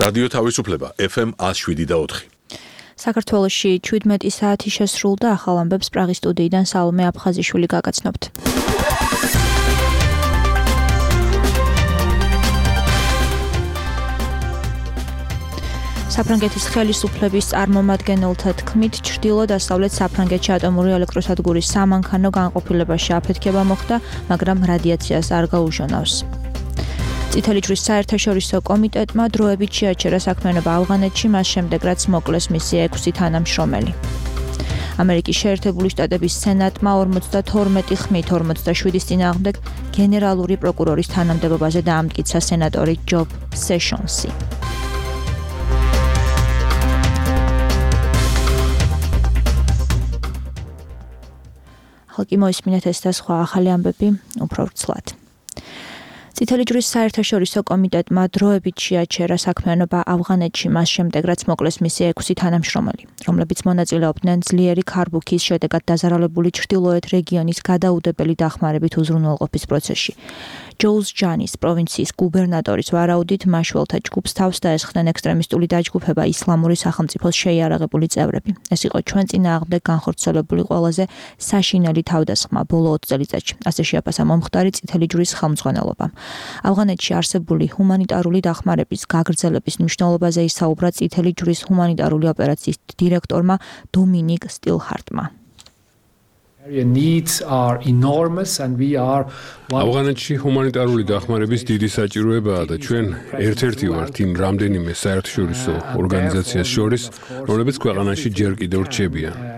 რადიო თავისუფლება FM 107.4. საქართველოში 17 საათი შესრულდა, ახალ ამბებს პრაღის სტუდიიდან სალომე აფხაზიშვილი გაგაცნობთ. საფრანგეთის ხელისუფლების წარმომადგენელთა თქმით, ჩრდილო-დასავლეთ საფრანგეთში ატომური ელექტროსადგურის სამანქანო განყოფილებაში აფეთქება მოხდა, მაგრამ რადიაციას არ გაუჟონავს. წითელი ჯვრის საერთაშორისო კომიტეტმა დროებით შეაჩერა საქმიანობა ავღანეთში, მას შემდეგ რაც მოკლეს მისი 6 თანამშრომელი. ამერიკის შეერთებული შტატების სენატმა 52 ხმით 47-ის წინააღმდეგ გენერალური პროკურორის თანამდებობაზე დაამტკიცა სენატორი ჯეფ სეშონსი. ხალხი მოისმინეთ ეს და სხვა ახალი ამბები უფრო ვრცლად. წითელი ჯვრის საერთაშორისო კომიტეტმა დროებით შეაჩერა საქმიანობა ავღანეთში, მას შემდეგ რაც მოკლეს მისი 6 თანამშრომელი, რომლებიც მონაწილეობდნენ ძლიერი ქარბუქის შედეგად დაზარალებული ჩრდილოეთ რეგიონის გადაუდებელი დახმარებით უზრუნველყოფის პროცესში. ჯოუზჯანის პროვინციის გუბერნატორის ვარაუდით, მაშველთა ჯგუფს თავს დაესხნენ ექსტრემისტული დაჯგუფება ისლამური სახელმწიფოს შეიარაღებული წევრები. ეს იყო ჩვენ წინააღმდეგ განხორციელებული ყველაზე საშინელი თავდასხმა ბოლო 20 წელიწადში, ასე შეაფასა მომხდარი წითელი ჯვრის ხელმძღვანელობამ. ავღანეთში არსებული ჰუმანიტარული დახმარების გაგრძელების მნიშვნელობაზე ისაუბრა წითელი ჯვრის ჰუმანიტარული ოპერაციის დირექტორმა დომინიკ სტილჰარტმა. ავღანეთში ჰუმანიტარული დახმარების დიდი საჭიროებაა და ჩვენ ერთ-ერთი ვართ იმ რამდენიმე საერთაშორისო ორგანიზაციას შორის, რომლებიც ქვეყანაში ჯერ კიდევ რჩებიან.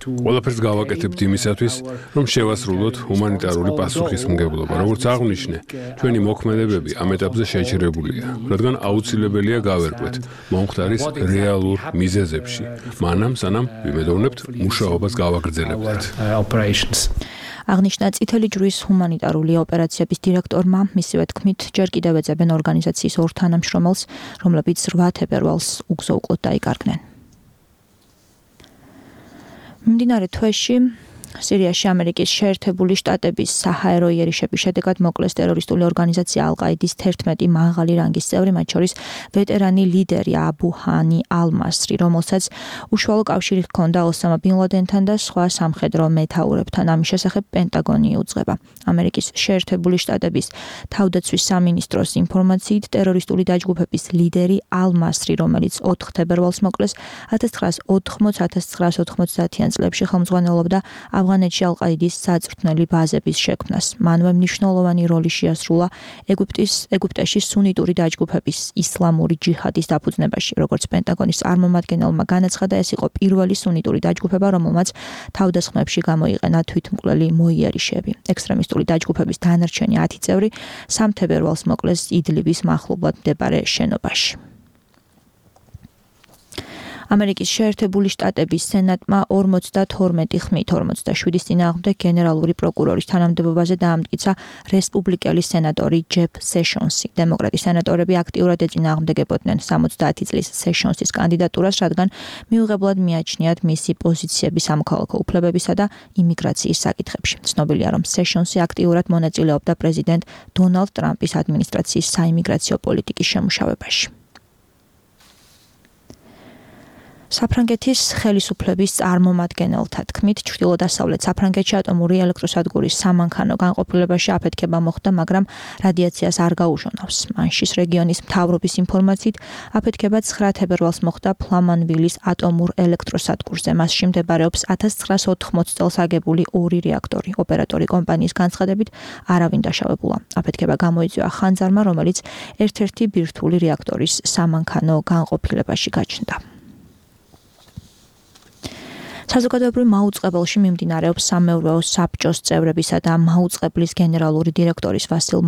ყველაფერს გავაკეთებთ იმისათვის, რომ შევასრულოთ ჰუმანიტარული პასუხისმგებლობა. როგორც აღვნიშნე, ჩვენი მოქმედებები ამ ეტაპზე შეჩერებულია, რადგან აუცილებელია გავერკვეთ მომხდარის რეალურ მიზეზებში, მანამ სანამ ვიმედოვნებთ მუშაობას გავაგრძელებთ. აღნიშნა წითელი ჯვრის ჰუმანიტარული ოპერაციების დირექტორმა, მისივე თქმით, ჯერ კიდევ ეძებენ ორგანიზაციის 2 თანამშრომელს, რომლებიც 8 თებერვალს უგზო-უკლოდ დაიკარგნენ. მიმდინარე თვეში სირიაში ამერიკის შეერთებული შტატების საჰაერო იერიშების შედეგად მოკლეს ტერორისტული ორგანიზაცია ალ-ყაიდის 11 მაღალი რანგის წევრი, მათ შორის ვეტერანი ლიდერი აბუ ჰანი ალ-მასრი, რომელსაც უშუალო კავშირი ჰქონდა ოსამა ბინ ლადენთან და სხვა სამხედრო მეთაურებთან. ამის შესახებ პენტაგონი იუძღება. ამერიკის შეერთებული შტატების თავდაცვის სამინისტროს ინფორმაციით, ტერორისტული დაჯგუფების ლიდერი ალ-მასრი, რომელიც 4 თებერვალს მოკლეს, 1980-1990-იან წლებში ხელმძღვანელობდა ავღანეთში ალ-ყაიდის საწვრთნელი ბაზების შექმნას. მანვე მნიშვნელოვანი როლი შეასრულა ეგვიპტეში სუნიტური დაჯგუფების ისლამური ჯიჰადის დაფუძნებაში. როგორც პენტაგონის წარმომადგენელმა განაცხადა, ეს იყო პირველი სუნიტური დაჯგუფება, რომელმაც თავდასხმებში გამოიყენა თვითმკვლელი მოიერიშეები. ექსტრემისტული დაჯგუფების დანარჩენი 10 წევრი 3 თებერვალს მოკლეს იდლიბის მახლობლად მდებარე შენობაში. ამერიკის შეერთებული შტატების სენატმა 52 ხმით 47-ის წინააღმდეგ გენერალური პროკურორის თანამდებობაზე დაამტკიცა რესპუბლიკელი სენატორი ჯეფ სეშონსი. დემოკრატი სენატორები აქტიურად ეწინააღმდეგებოდნენ 70 წლის სეშონსის კანდიდატურას, რადგან მიუღებლად მიაჩნიათ მისი პოზიციები სამოქალაქო უფლებებისა და იმიგრაციის საკითხებში. ცნობილია, რომ სეშონსი აქტიურად მონაწილეობდა პრეზიდენტ დონალდ ტრამპის ადმინისტრაციის საიმიგრაციო პოლიტიკის შემუშავებაში. საფრანგეთის ხელისუფლების წარმომადგენელთა თქმით, ჩრდილო-დასავლეთ საფრანგეთში ატომური ელექტროსადგურის სამანქანო განყოფილებაში აფეთქება მოხდა, მაგრამ რადიაციას არ გაუჟონავს. მანშის რეგიონის მთავრობის ინფორმაციით, აფეთქება 9 თებერვალს მოხდა ფლამანვილის ატომურ ელექტროსადგურზე. მასში მდებარეობს 1980 წელს აგებული 2 რეაქტორი. ოპერატორი კომპანიის განცხადებით, არავინ დაშავებულა. აფეთქება გამოიწვია ხანძარმა, რომელიც ერთ-ერთი ბირთვული რეაქტორის სამანქანო განყოფილებაში გაჩნდა. საზოგადოებრივ მაუწყებელში მიმდინარეობს სამეურვეო საბჭოს წევრებისა და მაუწყებლის გენერალური დირექტორის ვასილ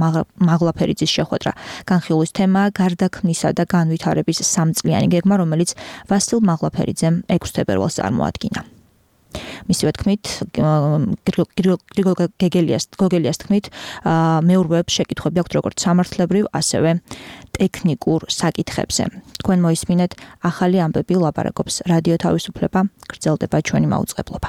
მაღლაფერიძის შეხვედრა. განხილვის თემაა გარდაქმნისა და განვითარების 3-წლიანი გეგმა, რომელიც ვასილ მაღლაფერიძემ 6 თებერვალს წარმოადგინა. მისივე თქმით, გოგელიას თქმით, მეურვეებს შეკითხვები აქვთ როგორც სამართლებრივ, ასევე ტექნიკურ საკითხებზე. თქვენ მოისმინეთ ახალი ამბები, ლაპარაკობს რადიო თავისუფლება, გრძელდება ჩვენი მაუწყებლობა.